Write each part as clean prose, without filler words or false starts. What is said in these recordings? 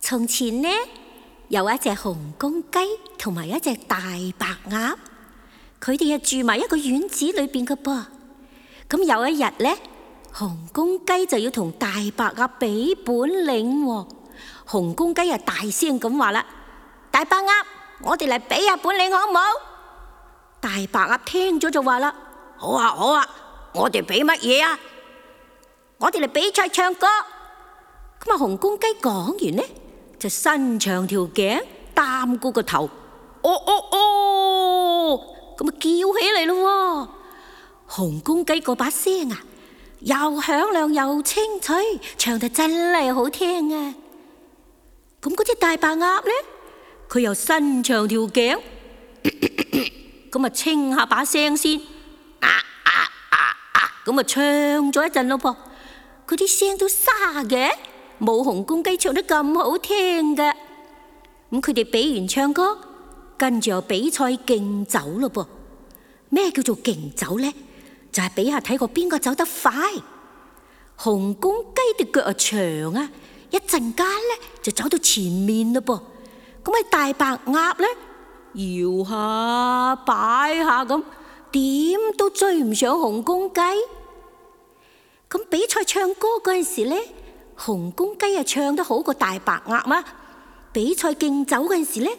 從前呢，有一隻紅公雞同埋一隻大白鴨，佢哋住埋一個院子裏邊嘅噃。咁有一日呢，紅公雞就要同大白鴨比本領喎。紅公雞大聲咁話啦：大白鴨，我哋嚟比下本領好唔好？大白鴨聽咗就話啦：好啊好啊，我哋比乜嘢啊？我哋嚟比賽唱歌。咁紅公雞講完呢，就伸長條頸，擔高個頭，咁叫起嚟咯。紅公雞嗰把聲又響亮又清脆，唱得真係好聽啊！咁嗰隻大白鴨呢，佢又伸長條頸，咁清下把聲先，咁唱咗一陣咯噃。佢啲聲都沙嘅，冇紅公雞唱得咁好聽嘅。咁佢哋比完唱歌，跟住又比賽競走咯噃。咩叫做競走呢？就係比下睇過邊個走得快。紅公雞嘅腳長啊，一陣間呢就走到前面咯噃。咁大白鴨呢，搖下擺下咁，點都追唔上紅公雞。咁比賽唱歌嗰陣時呢，紅公雞唱得好過大白鴨啊。比賽競走嗰陣時呢，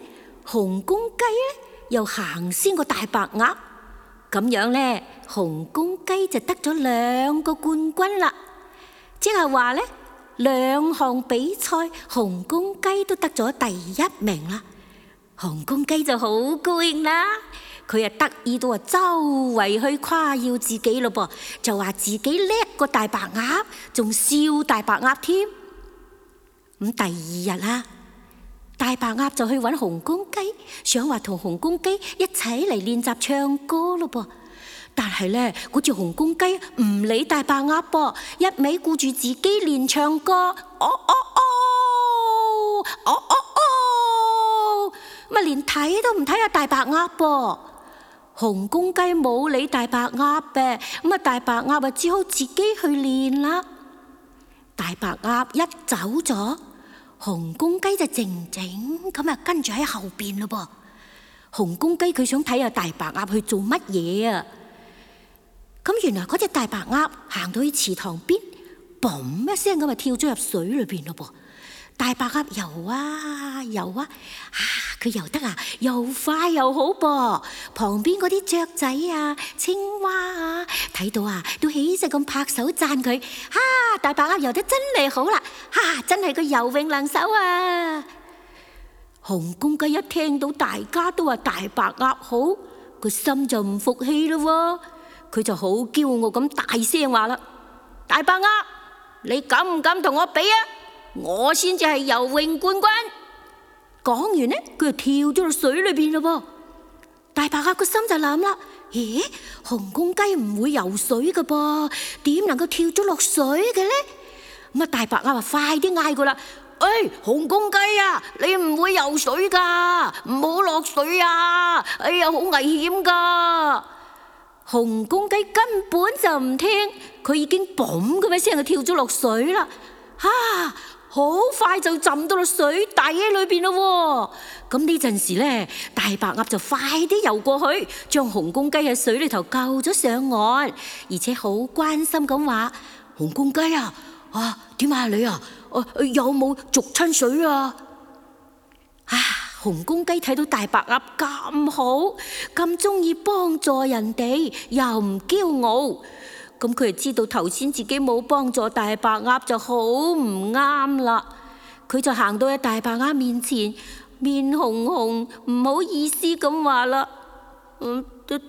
紅公雞又行先過大白鴨。咁樣呢，紅公雞就得咗2個冠軍啦。即係話呢，2項比賽紅公雞都得咗第1名啦。紅公雞就好高興啦，佢得意到周圍去誇耀自己咯噃，就話自己叻過大白鴨，仲笑大白鴨添。咁第2日啦，大白鴨就去揾紅公雞，想話同紅公雞一齊嚟練習唱歌咯噃。但係呢，嗰隻紅公雞唔理大白鴨噃，一味顧住自己練唱歌，咁連睇都唔睇下大白鴨噃。紅公雞冇理大白鴨嘅，咁大白鴨只好自己去練啦。大白鴨一走咗，紅公雞就靜靜咁跟住喺後邊咯噃。紅公雞佢想睇下大白鴨去做乜嘢啊？咁原來嗰隻大白鴨行到去池塘邊，嘣一聲咁跳咗入水裏邊咯噃。大白鴨游啊游啊，佢游得又快又好噃。旁邊嗰啲雀仔青蛙睇到都起勢咁拍手讚佢。大白鴨游得真係好啦，真係個游泳能手啊！紅公雞一聽到大家都話大白鴨好，個心就唔服氣咯。佢就好驕傲咁大聲話啦：大白鴨，你敢唔敢同我比啊？我先至係游泳冠軍。講完呢，佢就跳咗落水裏邊咯。大白鴨個心就諗啦：咦，紅公雞唔會游水噶噃，點能夠跳咗落水嘅呢？咁大白鴨快啲嗌佢啦：紅公雞你唔會游水噶，唔好落水啊！哎呀，好危險噶！紅公雞根本就唔聽，佢已經嘣咁一聲就跳咗落水啦。好快就浸到落水底裏邊咯。咁呢陣時呢，大白鴨就快啲游過去，將紅公雞喺水裏頭救咗上岸，而且好關心咁話：紅公雞點你有冇逐親水啊？紅公雞睇到大白鴨咁好，咁中意幫助人哋，又唔驕傲，咁佢就知道頭先自己冇幫助大白鴨就好唔啱啦。佢就行到喺大白鴨面前，面紅紅，唔好意思咁話啦：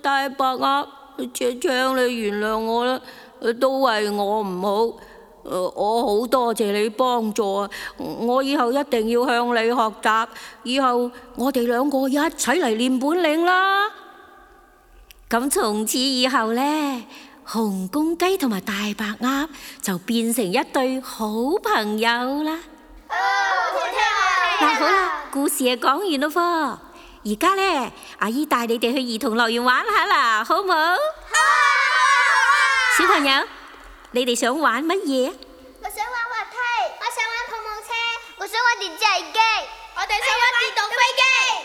大白鴨，請你原諒我啦，都係我唔好。我好多謝你幫助，我以後一定要向你學習，以後我哋2個一齊嚟練本領啦。咁從此以後呢，紅公雞同埋大白鴨就變成一對好朋友啦。好啦，故事講完咯噃。而家呢，阿姨帶你哋去兒童樂園玩下啦，好唔好？小朋友，你哋想玩乜嘢？我想玩滑梯，我想玩碰碰車，我想玩電電掣機。我哋想玩電動飛機。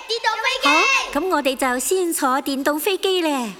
電動飛機。好，咁我哋就先坐電動飛機咧。